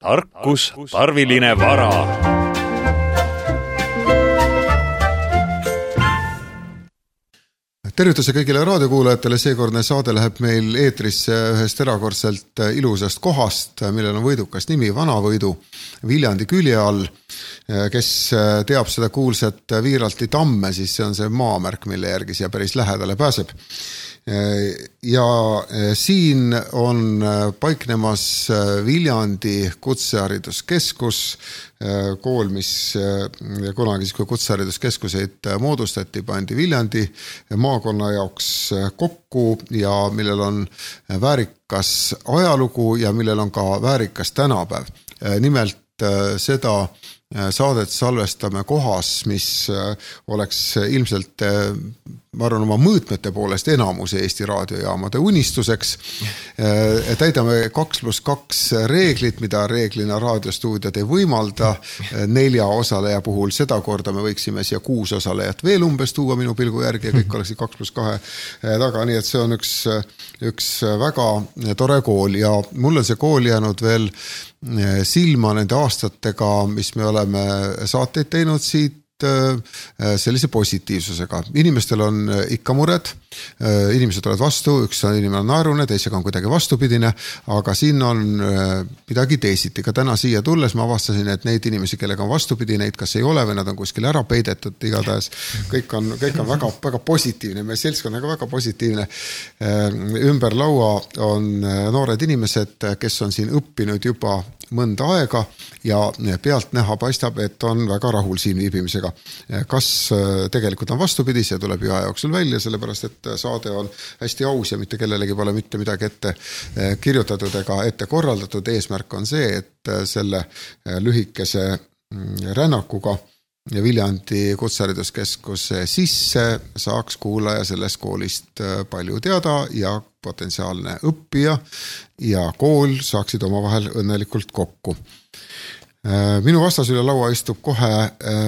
Tarkus, tarviline vara. Tervituse kõigile raadiokuulajatele, seekordne saade läheb meil eetrisse ühest erakordselt ilusast kohast, millel on võidukas nimi Vanavõidu Viljandi külje all. Kes teab seda kuulsat Viiralti tamme, siis see on see maamärk, mille järgi siia päris lähedale pääseb. Ja siin on paiknemas Viljandi kutsehariduskeskus, kool, mis kunagi kui kutsehariduskeskuseid moodustati, pandi Viljandi maakonna jaoks kokku ja millel on väärikas ajalugu ja millel on ka väärikas tänapäev. Nimelt seda saadet salvestame kohas, mis oleks ilmselt, ma arvan, oma mõõtmete poolest enamuse Eesti raadiojaamade unistuseks. Täidame 2+2 reeglit, mida reeglina raadiostuudiod ei võimalda 4 osaleja puhul. Seda korda me võiksime siia 6 osalejat veel umbes tuua minu pilgu järgi ja kõik oleksid 2+2 taga. Nii et see on üks väga tore kool ja mul on see kool jäänud veel silma nende aastatega, mis me oleme saateid teinud siit sellise positiivsusega. Inimestel on ikka mured, inimesed tulevad vastu, üks on inimene naerune, teisega on kuidagi vastupidine, aga siin on midagi teisiti. Ka täna siia tulles ma avastasin, et neid inimesi, kellega on vastupidi, neid kas ei ole või nad on kuskil ära peidetud, igatahes kõik on väga, väga positiivne, meie seltskond on väga positiivne. Ümber laua on noored inimesed, kes on siin õppinud juba mõnda aega ja pealt näha paistab, et on väga rahul siin viibimisega. Kas tegelikult on vastupidi, see tuleb ju aja jooksul välja, sellepärast et saade on hästi aus ja mitte kellelegi pole mitte midagi ette kirjutatud ega ette korraldatud. Eesmärk on see, et selle lühikese rännakuga Viljandi kutsehariduskeskuse sisse saaks kuulaja sellest koolist palju teada ja potentsiaalne õppija ja kool saaksid omavahel õnnelikult kokku. Minu vastas üle laua istub kohe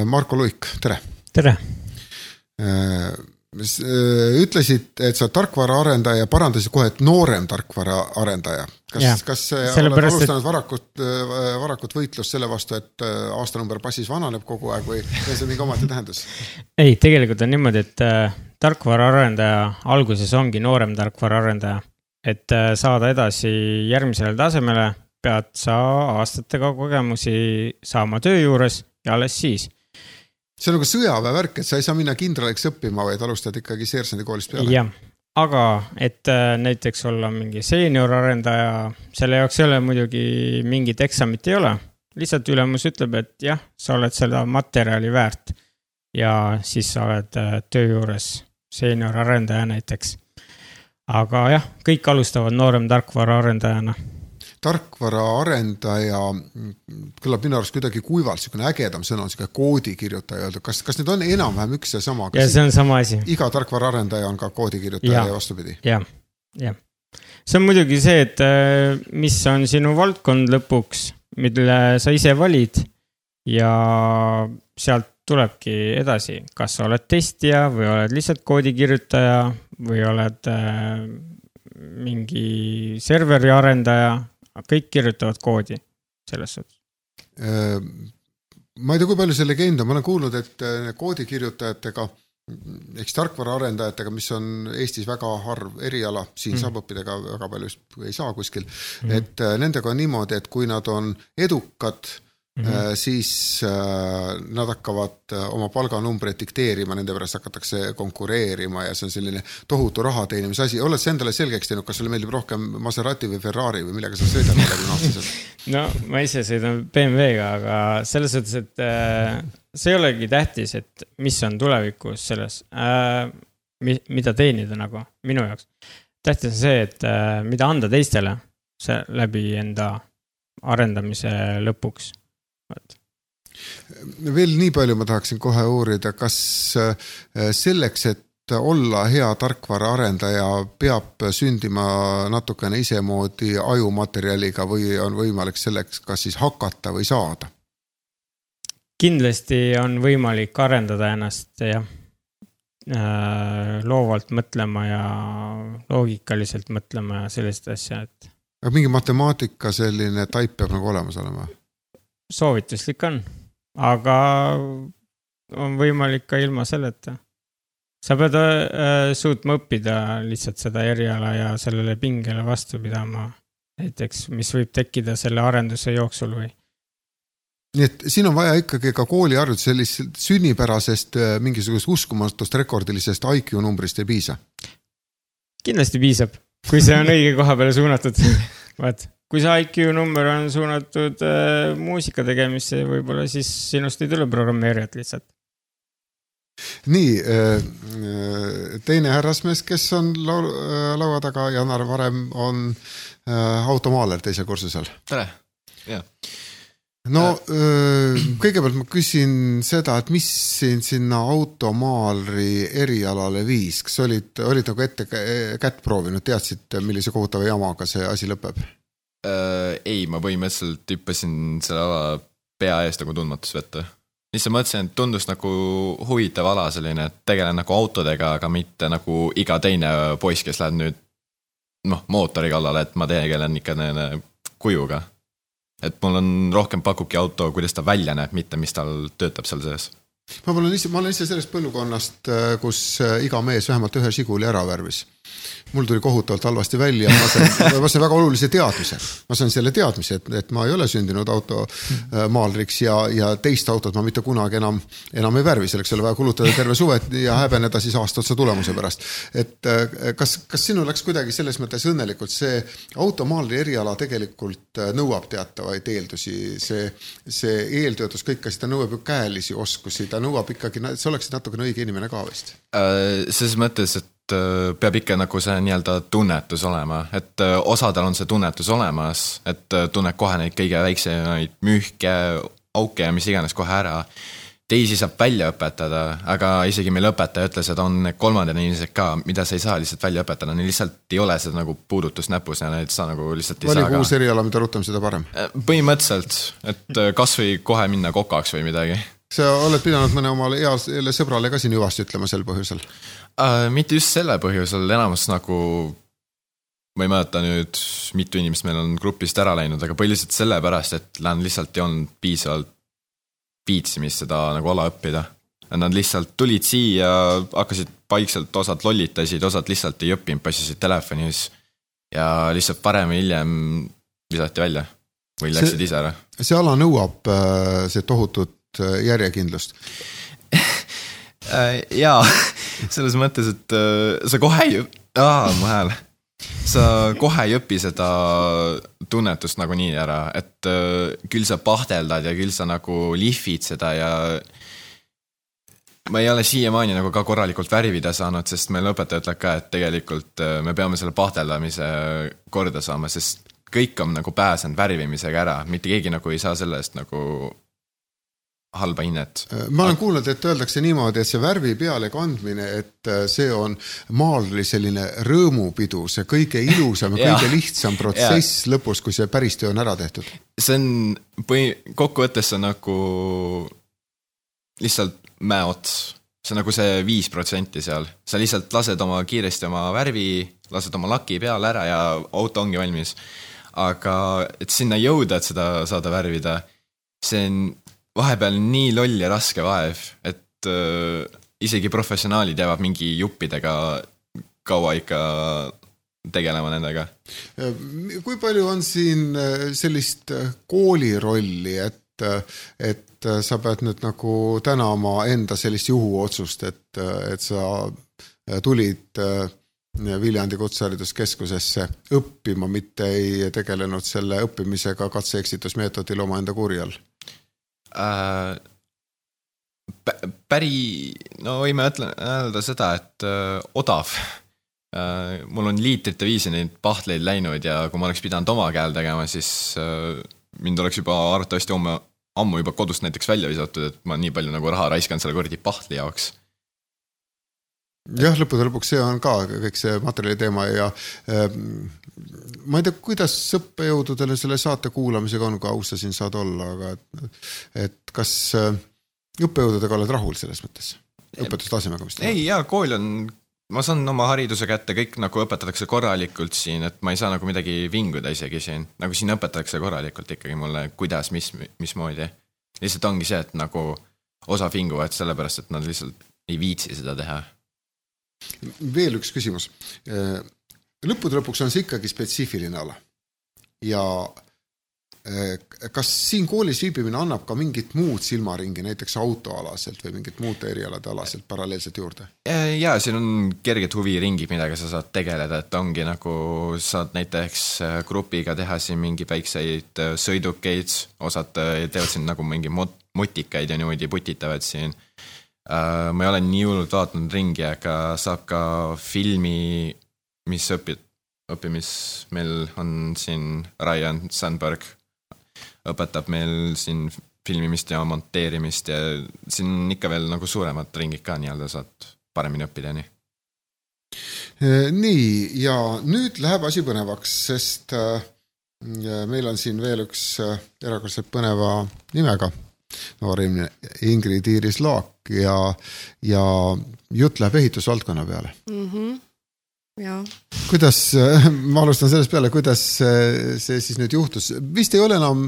Marko Luik. Tere! Tere! Ütlesid, et sa tarkvara arendaja, parandasid kohe, et noorem tarkvara arendaja. Kas oled alustanud varakut võitlust selle vastu, et aastanumber passis vananeb kogu aeg või see mingi omati tähendus? Ei, tegelikult on niimoodi, et tarkvara arendaja alguses ongi noorem tarkvara arendaja. Et saada edasi järgmisele tasemele, pead sa aastatega kogemusi saama töö juures ja alles siis. See on nagu sõjaväevärk, et sa ei saa minna kindraliks õppima, vaid alustad ikkagi seersandi koolist peale. Jah, aga et näiteks olla mingi seenior arendaja, selle jaoks ei ole muidugi mingit eksamit ei ole. Lihtsalt ülemus ütleb, et jah, sa oled seda materjali väärt ja siis sa oled töö juures seenior arendaja näiteks. Aga jah, kõik alustavad noorem tarkvara arendajana. Tarkvara arendaja kõlab minu arust kuidagi kuivalt, selline ägedam sõna on selline koodikirjutaja. Kas need on enam-vähem üks ja sama? Ja see on sama asi. Iga tarkvara arendaja on ka koodikirjutaja ja vastupidi? Jah. See on muidugi see, et mis on sinu valdkond lõpuks, mille sa ise valid ja sealt tulebki edasi. Kas sa oled testija või oled lihtsalt koodikirjutaja või oled mingi serveri arendaja, kõik kirjutavad koodi selles suhtes. Ma ei tea, kui palju see legend on. Ma olen kuulnud, et koodikirjutajatega, eks tarkvara arendajatega, mis on Eestis väga harv eriala, siin saab õppida ka väga palju ei saa kuskil, et nendega on niimoodi, et kui nad on edukad, siis nad hakkavad oma palganumbreid dikteerima, nende pärast hakatakse konkureerima ja see on selline tohutu raha teenimise asi. Oled sa endale selgeks teinud, kas sulle meeldib rohkem Maserati või Ferrari või millega sa sõidad 40 aastaselt? No, ma ise sõidan BMW-ga, aga selles suhtes, et see ei olegi tähtis, et mis on tulevikus selles, mida teenida nagu minu jaoks. Tähtis on see, et mida anda teistele läbi enda arendamise lõpuks. Veel nii palju ma tahaksin kohe uurida, kas selleks, et olla hea tarkvara arendaja, peab sündima natukene isemoodi ajumaterjaliga või on võimalik selleks kas siis hakata või saada? Kindlasti on võimalik arendada ennast loovalt mõtlema ja loogikaliselt mõtlema ja sellist asja, et aga mingi matemaatika selline taip peab nagu olemas olema? Soovituslik on, aga on võimalik ka ilma selleta. Sa pead suutma õppida lihtsalt seda eriala ja sellele pingele vastu pidama, näiteks mis võib tekkida selle arenduse jooksul või. Nii et siin on vaja ikkagi ka kooliharjut, sellist sünnipärasest mingisugust uskumatust rekordilisest IQ numbrist ei piisa? Kindlasti piisab, kui see on õige koha peale suunatud. Vaat, kui see IQ number on suunatud muusika tegemisse, võib-olla siis sinust ei tule programmeerijat lihtsalt. Nii, teine härrasmees, kes on laua taga, Janar Varem on automaaler teisel kursusel. Tere, jah. No kõigepealt ma küsin seda, et mis sinna automaalri erialale viis? Kas olid nagu ette kätt proovinud, teadsid, millise kohutava jamaga see asi lõpeb? Ei, ma põhimõtteliselt hüppasin selle ala pea eest nagu tundmatus võtta. Lihtsalt mõtlesin, et tundus nagu huvitav ala selline, et tegelen nagu autodega, aga mitte nagu iga teine poiss, kes läheb nüüd mootori kallale, et ma tegelen ikka kujuga. Et mul on rohkem pakubki auto, kuidas ta välja näeb, mitte mis tal töötab seal sees. Ma olen ise sellest põlvkonnast, kus iga mees vähemalt ühe Žiguli ära värvis. Mul tuli kohutavalt halvasti välja, ma sain väga olulise teadmise. Ma sain selle teadmise, et ma ei ole sündinud automaalriks ja teist autot ma mitte kunagi enam ei värvi, selleks oli vaja kulutada terve suvet ja häbeneda siis aasta otsa tulemuse pärast. Et kas sinu läks kuidagi selles mõttes õnnelikult, see automaalri eriala tegelikult nõuab teatavaid eeldusi, see eeltöötus kõik, kas ta nõuab ju käelisi oskusi, ta nõuab ikkagi, see oleksid natukene õige inimene ka vist? Selles mõttes, et peab ikka nagu see nii-öelda tunnetus olema, et osadel on see tunnetus olemas, et tunned kohe neid kõige väiksemaid müühke, auke ja mis iganes kohe ära. Teisi saab välja õpetada, aga isegi meil õpetaja ütles, et on kolmandad inimesed ka, mida sa ei saa lihtsalt välja õpetada, neil lihtsalt ei ole seda nagu puudutus näpus ja neid sa nagu lihtsalt ei saa ka. Vali uus eriala, mida rutem seda parem? Põhimõtteliselt, et kas või kohe minna kokaks või midagi. Sa oled pidanud mõne omale heale sõbrale ka siin hüvasti ütlema sel põhjusel? Mitte just selle põhjusel, enamus nagu ma ei mäleta nüüd, mitu inimest meil on grupist ära läinud, aga põhiliselt selle pärast, et lähen lihtsalt ei olnud piisavalt viitsimist seda nagu ala õppida. Nad lihtsalt tulid siia, hakkasid paikselt, osad lollitasid, osad lihtsalt ei õppinud, passisid telefonis ja lihtsalt parem ja hiljem visati välja või läksid ise ära. See ala nõuab see tohutut järjekindlust. Jaa, selles mõttes, et sa kohe ei õpi seda tunnetust nagu nii ära, et küll sa pahteldad ja küll sa nagu lihvid seda ja ma ei ole siiamaani nagu ka korralikult värvida saanud, sest meil õpetaja ütleb ka, et tegelikult me peame selle pahteldamise korda saama, sest kõik on nagu pääsenud värvimisega ära, mitte keegi nagu ei saa sellest nagu halba hinnet. Ma olen kuulnud, et öeldakse niimoodi, et see värvi peale kandmine, et see on maalri selline rõõmupidu, see kõige ilusam ja kõige lihtsam protsess lõpus, kui see päris töö on ära tehtud. See on, kokkuvõttes on nagu lihtsalt mäeots. See on nagu see 5% seal. Sa lihtsalt lased kiiresti oma värvi, lased oma laki peale ära ja auto ongi valmis. Aga et sinna jõuda, et seda saada värvida, see on vahepeal nii loll ja raske vaev, et isegi professionaalid jäävad mingi juppidega kaua ikka tegelema nendega. Kui palju on siin sellist koolirolli, et sa pead nüüd nagu tänama enda sellist juhuotsust, et sa tulid Viljandi Kutsehariduskeskusesse õppima, mitte ei tegelenud selle õppimisega katse-eksitusmeetodil oma enda kurjal? No võime öelda seda, et odav. Mul on liitrite viisi neid pahtleid läinud ja kui ma oleks pidanud oma käel tegema, siis mind oleks juba arvatavasti ammu juba kodust näiteks välja visatud, et ma nii palju nagu raha raiskan selle kordi pahtli jaoks. Jah, lõpuks see on ka kõik see materjali teema ja ma ei tea, kuidas õppejõududele selle saate kuulamisega on, kui aus sa siin saad olla, aga et kas õppejõududega oled rahul selles mõttes? Õpetustasemega, mis ei, jaa, kool on ma saan oma hariduse kätte, kõik nagu õpetatakse korralikult siin, et ma ei saa nagu midagi vinguda isegi siin. Nagu siin õpetatakse korralikult ikkagi mulle, kuidas, mismoodi. Lihtsalt ongi see, et nagu osa vinguvad sellepärast, et nad lihtsalt ei viitsi seda teha. Veel üks küsimus. Lõppude lõpuks on see ikkagi spetsiifiline ala. Ja kas siin koolis viibimine annab ka mingit muud silmaringi, näiteks autoalaselt või mingit muud erialade alaselt paralleelselt juurde? Jaa, siin on kerged huviringid, midagi sa saad tegeleda, et ongi nagu saad näiteks grupiga teha siin mingi väikseid sõidukeid, osad teevad siin nagu mingi mutikaid ja niimoodi putitavad siin. Ma ei ole nii hullult vaatanud ringi, aga saab ka filmi, mis õppimis meil on siin Ryan Sandberg õpetab meil siin filmimist ja monteerimist ja siin ikka veel nagu suuremad ringid ka nii-öelda saad paremini õppida. Nii, ja nüüd läheb asi põnevaks, sest meil on siin veel üks erakordselt põneva nimega noor Ingrid Iiris Laak ja jutt läheb ehitusvaldkonna peale. Ja. Kuidas, ma alustan sellest peale, kuidas see siis nüüd juhtus? Vist ei ole enam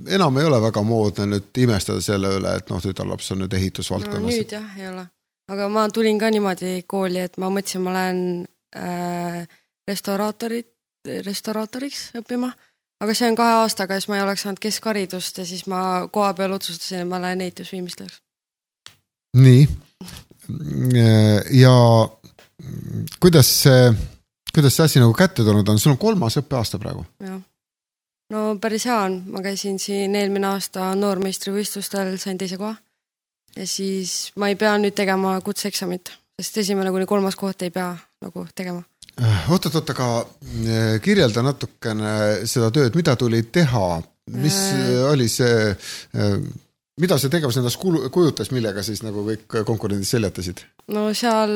ei ole väga moodne nüüd imestada selle üle, et tütarlaps on nüüd ehitusvaldkonnas. No nüüd jah, ei ole. Aga ma tulin ka niimoodi kooli, et ma mõtlesin, ma lähen restauraatoriks õppima. Aga see on 2 aastaga, siis ma ei oleks saanud keskharidust ja siis ma koha peal otsustasin, et ma lähen ehitusviimistlejaks. Nii. Ja kuidas see asi nagu kätte tulnud on? Sul on 3. õppeaasta praegu? Jah. No päris hea on. Ma käisin siin eelmine aasta noormeistrivõistlustel, sain 2. koha. Ja siis ma ei pea nüüd tegema kutseeksamit, sest 1. kuni 3. koht ei pea nagu tegema. Oot, aga kirjelda natukene seda tööd, mida tuli teha? Mis oli see... Mida see tegevus endast kujutas, millega siis nagu kõik konkurendid seljatasid? No seal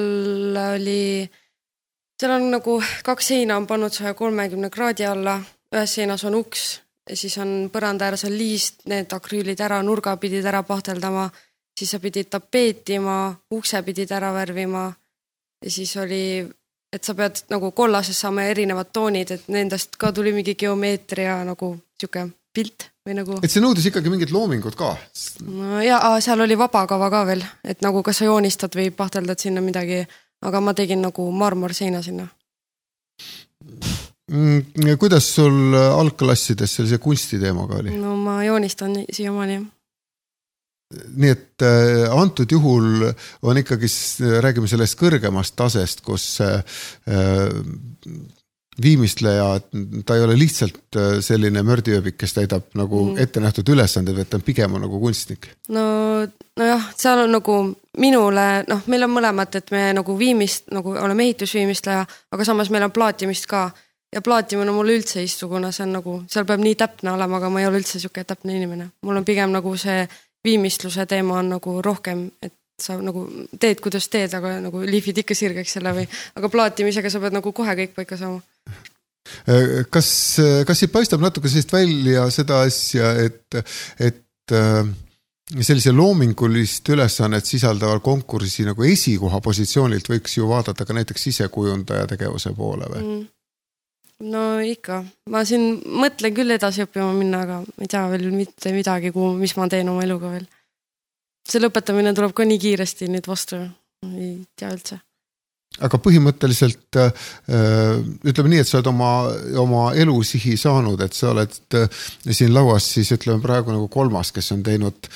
on nagu 2 seina on pannud 130 kraadi alla, ühes seinas on uks ja siis on põranda ääres on liist, need akrüülid ära, nurga pidid ära pahteldama, siis sa pidid tapeetima, ukse pidid ära värvima ja siis oli, et sa pead nagu kollases saama erinevad toonid, et nendest ka tuli mingi geomeetria nagu siuke pilt või nagu... Et see nõudis ikkagi mingid loomingut ka? No, ja seal oli vabakava ka veel, et nagu kas sa joonistad või pahteldad sinna midagi, aga ma tegin nagu marmorseina sinna. Kuidas sul algklassides sellise kunstiteemaga oli? No ma joonistan siiamaani. Nii et antud juhul on ikkagi, räägime sellest kõrgemast tasest, kus viimistleja, ta ei ole lihtsalt selline mördiööbik, kes täidab nagu ette nähtud ülesanded, et ta on pigem nagu kunstnik. No jah, seal on nagu minule, meil on mõlemad, et me nagu nagu oleme ehitusviimistleja, aga samas meil on plaatimist ka. Ja plaatimine mulle üldse istu, kuna see on nagu, seal peab nii täpne olema, aga ma ei ole üldse siuke täpne inimene. Mul on pigem nagu see viimistluse teema on nagu rohkem, et sa nagu teed, kuidas teed, aga nagu liifid ikka sirgeks selle või, aga plaatimisega sa pead nagu kohe kõik paika saama. Kas siit paistab natuke sellist välja seda asja, et sellise loomingulist ülesannet sisaldaval konkursi nagu esikoha positsioonilt võiks ju vaadata ka näiteks sisekujundaja tegevuse poole või? No ikka. Ma siin mõtlen küll edasi õppima minna, aga ei tea veel mitte midagi, mis ma teen oma eluga veel. See lõpetamine tuleb ka nii kiiresti nüüd vastu. Ei tea üldse. Aga põhimõtteliselt ütleme nii, et sa oled oma elusihi saanud, et sa oled siin lauas siis ütleme praegu nagu 3, kes on teinud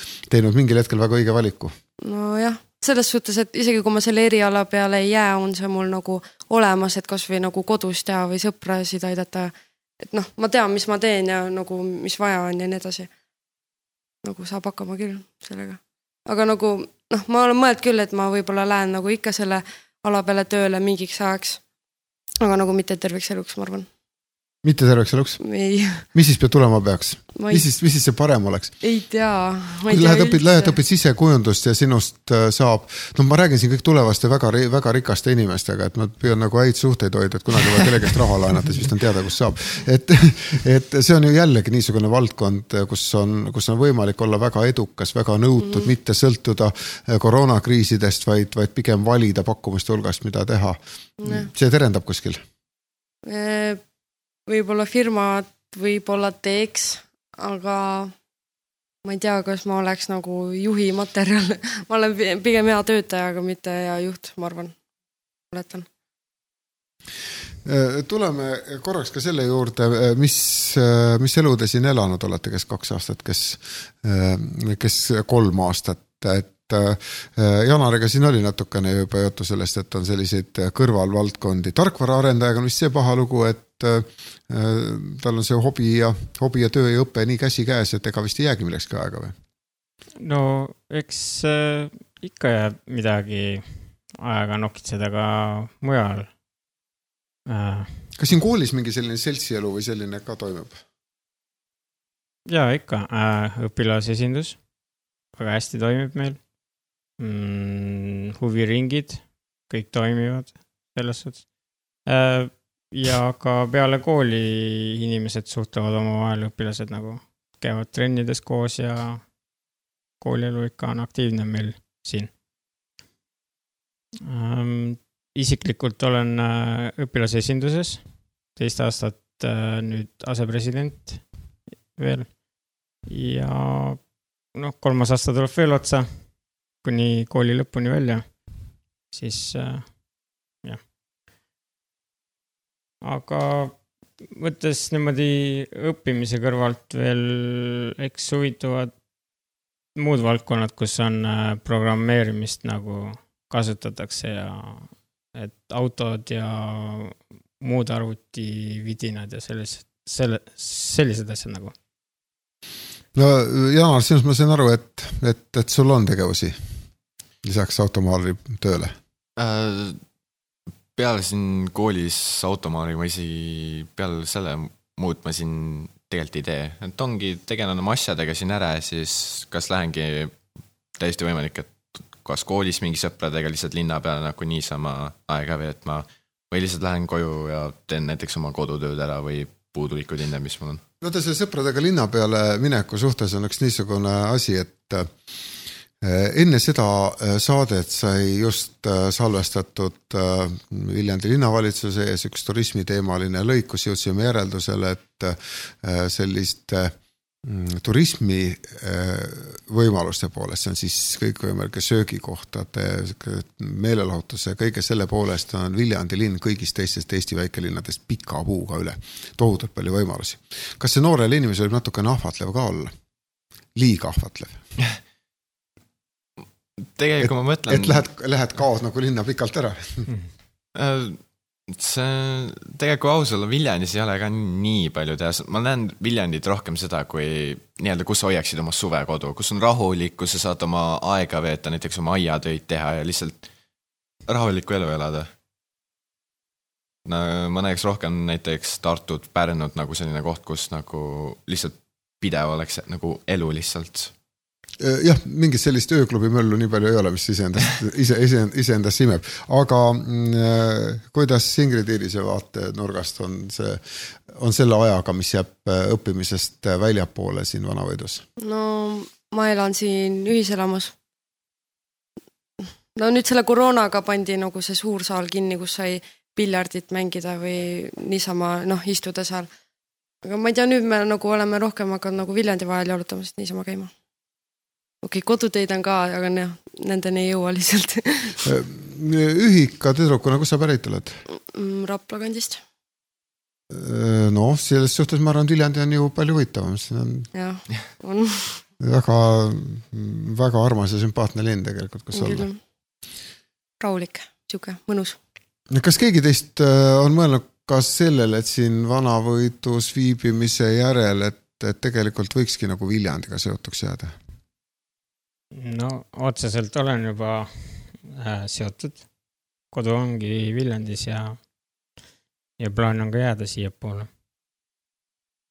mingil hetkel väga õige valiku. No jah, selles suhtes, et isegi kui ma selle eriala peale ei jää, on see mul nagu olemas, et kas või nagu kodus teha või sõprasid aidata. Et ma tean, mis ma teen ja nagu, mis vaja on ja nii edasi. Nagu saab hakkama küll sellega. Aga nagu, ma olen mõeld küll, et ma võib-olla lähen nagu ikka selle ala peale tööle mingiks ajaks, aga nagu mitte terviks eluks, ma arvan. mitte terveks eluks? ei. Mis siis peab tulema peaks? Mis siis see parem oleks? Ei tea. Lähed õpid sisekujundust ja sinust saab, ma räägin siin kõik tulevaste väga rikaste inimestega, et ma püüan nagu häid suhteid hoida, et kunagi või kellegast raha laenata, siis vist on teada, kus saab. Et see on ju jällegi niisugune valdkond, kus on võimalik olla väga edukas, väga nõutud, mitte sõltuda koroonakriisidest, vaid pigem valida pakkumiste hulgast, mida teha. See terendab kuskil? Võib-olla firmad võib-olla teeks, aga ma ei tea, kas ma oleks nagu juhi materjal. Ma olen pigem hea töötaja, aga mitte hea juht, ma arvan. Oletan. Tuleme korraks ka selle juurde, mis elu te siin elanud olete, kes 2 aastat, kes 3 aastat, et Janariga siin oli natukene juba juttu sellest, et on selliseid kõrvalvaldkondi. Tarkvaraarendajaga on vist see paha lugu, et tal on see hobi ja töö ja õpe nii käsi käes, et ega vist ei jäägi millekski aega või? No eks ikka jääb midagi aega nokitseda ka mujal. Kas siin koolis mingi selline seltsielu või selline ka toimub? Jaa, ikka. Õpilasesindus. Väga hästi toimib meil. Huviringid. Kõik toimivad selles suhtes. Ja ka peale kooli inimesed suhtlevad oma vahel, õpilased nagu käivad trennides koos ja koolielu ikka on aktiivne meil siin. Isiklikult olen õpilasesinduses, 2 aastat nüüd asepresident veel ja 3. aasta tuleb veel otsa kuni kooli lõpuni välja, siis jah. Aga võttes niimoodi õppimise kõrvalt veel eks huvituvad muud valdkonnad, kus on programmeerimist nagu kasutatakse ja et autod ja muud arvutividinad ja sellised asjad nagu. No Janar, sinust ma sain aru, et sul on tegevusi lisaks automaali tööle? Peale siin koolis automaali ma peale selle muud ma siin tegelikult ei tee. Et ongi tegelen oma asjadega siin ära ja siis kas lähengi täiesti võimalik, et kas koolis mingi sõpradega lihtsalt linna peale nagu niisama aega veetma või lihtsalt lähen koju ja teen näiteks oma kodutööd ära või puudulikud linna, mis mul on. Vaata, see sõpradega linna peale mineku suhtes on üks niisugune asi, et enne seda saadet sai just salvestatud Viljandi linnavalitsuse ees üks turismiteemaline lõik, kus jõudsime järeldusele, et sellist turismi võimaluste poolest, see on siis kõikvõimalike söögikohtade, meelelahutuse, kõige selle poolest on Viljandi linn kõigist teistest Eesti väikelinnadest pika puuga üle. Tohutult palju võimalusi. Kas see noorele inimese võib natuke ahvatlev ka olla? Liiga ahvatlev? Tegelikult ma mõtlen... Et lähed kaos nagu linna pikalt ära? See tegelikult ausalt Viljandis ei ole ka nii palju teha. Ma näen Viljandit rohkem seda, kui nii-öelda, kus hoiaksid oma suvekodu, kus on rahulik, kus sa saad oma aega veeta, näiteks oma aiatöid teha ja lihtsalt rahulikku elu elada. Ma näeks rohkem näiteks Tartut, Pärnut nagu selline koht, kus nagu lihtsalt pidev oleks nagu elu lihtsalt. Jah, mingit sellist ööklubi möllu nii palju ei ole, mis iseendast simeb. Aga kuidas Ingrid Iirise vaate nurgast on selle ajaga, mis jääb õppimisest väljapoole siin Vanavõidus? No ma elan siin ühiselamus. No nüüd selle koroonaga pandi nagu see suur saal kinni, kus sai piljardit mängida või niisama istuda seal. Aga ma ei tea, nüüd me nagu oleme rohkem hakanud nagu Viljandi vahel jalutamas niisama käima. Okei, koduteid on ka, aga nendeni ei jõua lihtsalt. Ühika tüdrukuna, kus sa pärit oled? Rapla kandist. No, selles suhtes ma arvan, Viljandi on ju palju võitavam. Jah, on. Väga, väga armas ja sümpaatne linn tegelikult, kus olla. Rahulik, siuke, mõnus. Kas keegi teist on mõelnud ka sellele, et siin Vanavõidus viibimise järel, et tegelikult võikski nagu Viljandiga seotuks jääda? No, otseselt olen juba seotud. Kodu ongi Viljandis ja plaan on ka jääda siia poole.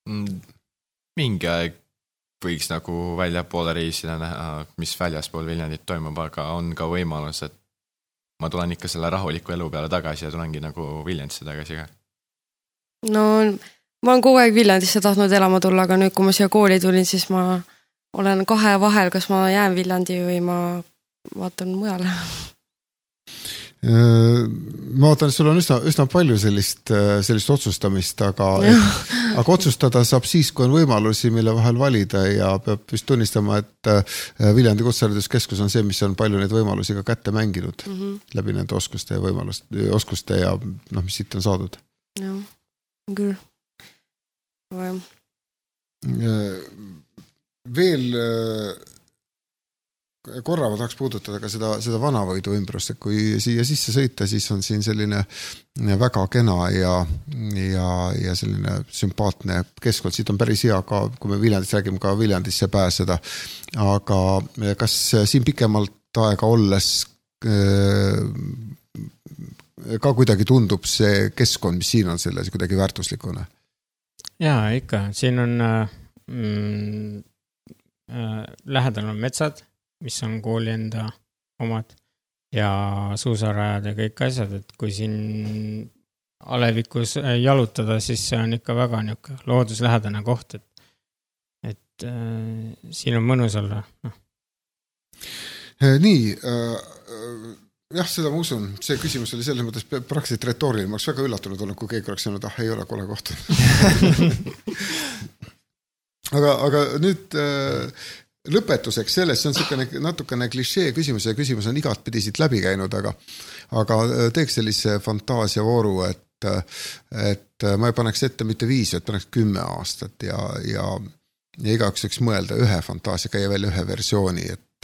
Mingi aeg võiks nagu väljapoole reisida näha, mis väljaspool Viljandit toimub, aga on ka võimalus, et ma tulen ikka selle rahuliku elu peale tagasi ja tulengi nagu Viljandisse tagasi ka. No ma olen kogu aeg Viljandisse tahtnud elama tulla, aga nüüd, kui ma siia kooli tulin, siis ma olen kahe vahel, kas ma jään Viljandi või ma vaatan mujale. Ma vaatan, et sul on üsna palju sellist otsustamist, aga otsustada saab siis, kui on võimalusi, mille vahel valida ja peab vist tunnistama, et Viljandi Kutsehariduskeskus on see, mis on palju neid võimalusi ka kätte mänginud läbi nende oskuste ja mis siit on saadud. Jah, küll. Veel korra ma tahaks puudutada ka seda Vanavõidu ümbrust, et kui siia sisse sõita, siis on siin selline väga kena ja selline sümpaatne keskkond. Siit on päris hea ka, kui me Viljandist räägime, ka Viljandisse pääseda. Aga kas siin pikemalt aega olles ka kuidagi tundub see keskkond, mis siin on selles kuidagi väärtuslikune? Jaa, ikka. Siin on lähedal on metsad, mis on kooli enda omad ja suusarajad ja kõik asjad, et kui siin alevikus jalutada, siis see on ikka väga looduslähedane koht, et siin on mõnus olla. Nii, jah, seda ma usun. See küsimus oli selles mõttes praktiliselt retooriline. Ma oleks väga üllatunud olnud, kui keegi oleks öelnud, ei ole kole koht. aga nüüd lõpetuseks sellest, see on natukene klišee küsimus ja küsimus on igat pidi siit läbi käinud, aga teeks sellise fantaasiavooru, et ma ei paneks ette mitte 5, et paneks 10 aastat ja igaks võiks mõelda ühe fantaasia, käia välja ühe versiooni, et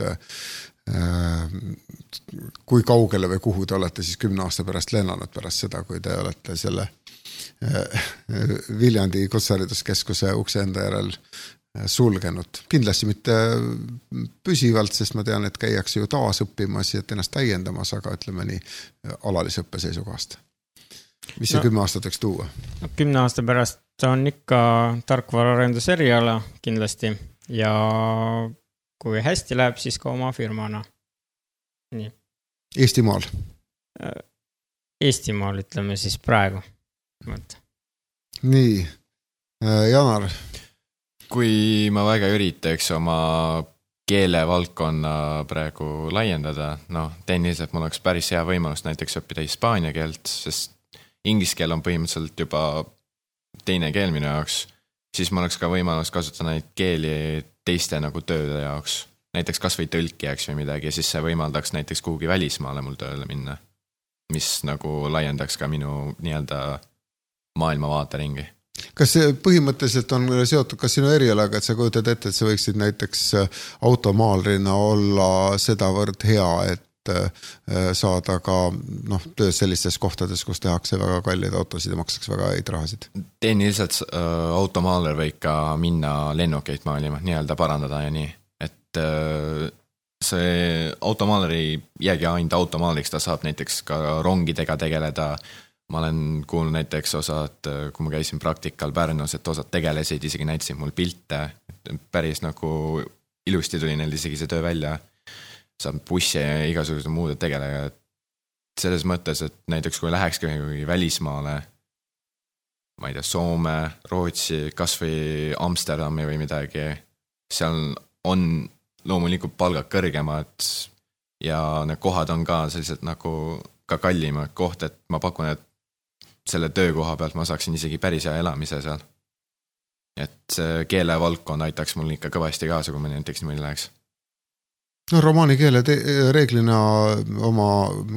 kui kaugele või kuhu te olete siis 10 aasta pärast lennanud pärast seda, kui te olete selle Viljandi Kutsehariduskeskuse ukse enda järel sulgenud. Kindlasti mitte püsivalt, sest ma tean, et käiakse ju taas õppimas ja ennast täiendamas, aga ütleme nii alalise õppe seisukohast. Mis see 10 aastat võiks tuua? 10 aasta pärast on ikka tarkvaraarenduseriala kindlasti ja kui hästi läheb, siis ka oma firmana. Nii. Eestimaal? Eestimaal ütleme siis praegu. Nii, Janar? Kui ma väga üritaks oma keelevaldkonna praegu laiendada, tehniliselt mul oleks päris hea võimalus näiteks õppida hispaania keelt, sest inglise keel on põhimõtteliselt juba teine keel minu jaoks, siis mul oleks ka võimalus kasutada neid keeli teiste nagu tööde jaoks, näiteks kas või tõlkijaks või midagi ja siis see võimaldaks näiteks kuhugi välismaale mul tööle minna, mis nagu laiendaks ka minu nii-öelda maailmavaateringi. Kas see põhimõtteliselt on seotud kas sinu erialaga, et sa kujutad ette, et sa võiksid näiteks automaalrina olla sedavõrd hea, et saada ka tööd sellistes kohtades, kus tehakse väga kallid autosid ja maksaks väga häid rahasid? Tehniliselt automaaler võib ka minna lennukeid maalima, nii-öelda parandada ja nii, et see automaaler ei jäägi ainult automaaliks, ta saab näiteks ka rongidega tegeleda. Ma olen kuulnud näiteks osad, kui ma käisin praktikal Pärnus, et osad tegelesid, isegi näitasid mul pilte, päris nagu ilusti tuli neil isegi see töö välja, saab bussi ja igasugused muude tegelega. Selles mõttes, et näiteks kui lähekski välismaale, ma ei tea, Soome, Rootsi, kas või Amsterdami või midagi, seal on loomulikult palgad kõrgemad ja need kohad on ka sellised nagu ka kallimad koht, et ma pakun, et selle töökoha pealt ma saaksin isegi päris hea elamise seal. Et keelevaldkond aitaks mul ikka kõvasti kaasa, kui ma näiteks niimoodi läheks. Romaani keele reeglina oma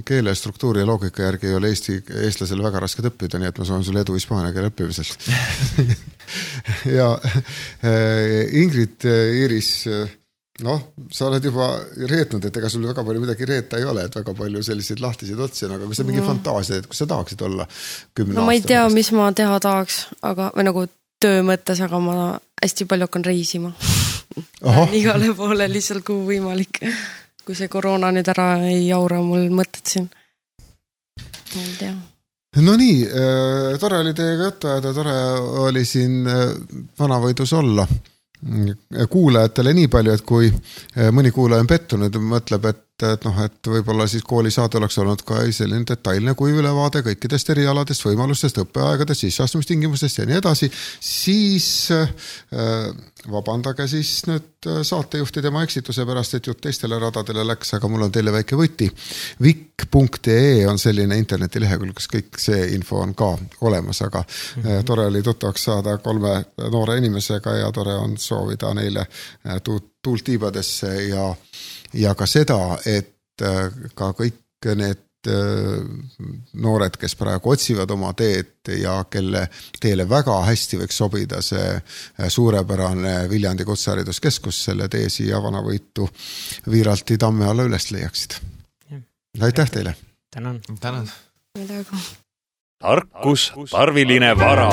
keele struktuuri ja loogika järgi ei ole eestlasele väga raske õppida, nii et ma soovin sulle edu hispaania keele õppimisel. Ja Ingrid, Iiris, sa oled juba reetnud, et ega sul väga palju midagi reeta ei ole, et väga palju selliseid lahtiseid otsi, aga kui sa mingi fantaasia, et kus sa tahaksid olla 10 aastat? Ma ei tea, mis ma teha tahaks, või nagu töö mõttes, aga ma hästi palju hakkan reisima. Igale poole lihtsalt kui võimalik. Kui see koroona nüüd ära ei jaura mul mõtted siin. Ma ei tea. No nii, tore oli teiega juttu ajada, tore oli siin Vanavõidus olla. Kuulajatele nii palju, et kui mõni kuulaja on pettunud, mõtleb, et võib-olla siis koolisaade oleks olnud ka selline detailne kui ülevaade kõikidest erialadest, võimalustest, õppeaegadest, sisseastumistingimustest ja nii edasi, siis vabandage siis nüüd saatejuhtide oma eksituse pärast, et jutt teistele radadele läks, aga mul on teile väike võti. Vik.ee on selline internetilehekülg, kus kõik see info on ka olemas, aga tore oli tuttavaks saada 3 noore inimesega ja tore on soovida neile tuult tiibadesse ja ka seda, et ka kõik need noored, kes praegu otsivad oma teed ja kelle teele väga hästi võiks sobida see suurepärane Viljandi Kutsehariduskeskus, selle tee siia Vanavõitu Viiralti tamme alla üles leiaksid. Aitäh teile! Tänan! Tänan! Tarkus, tarviline vara.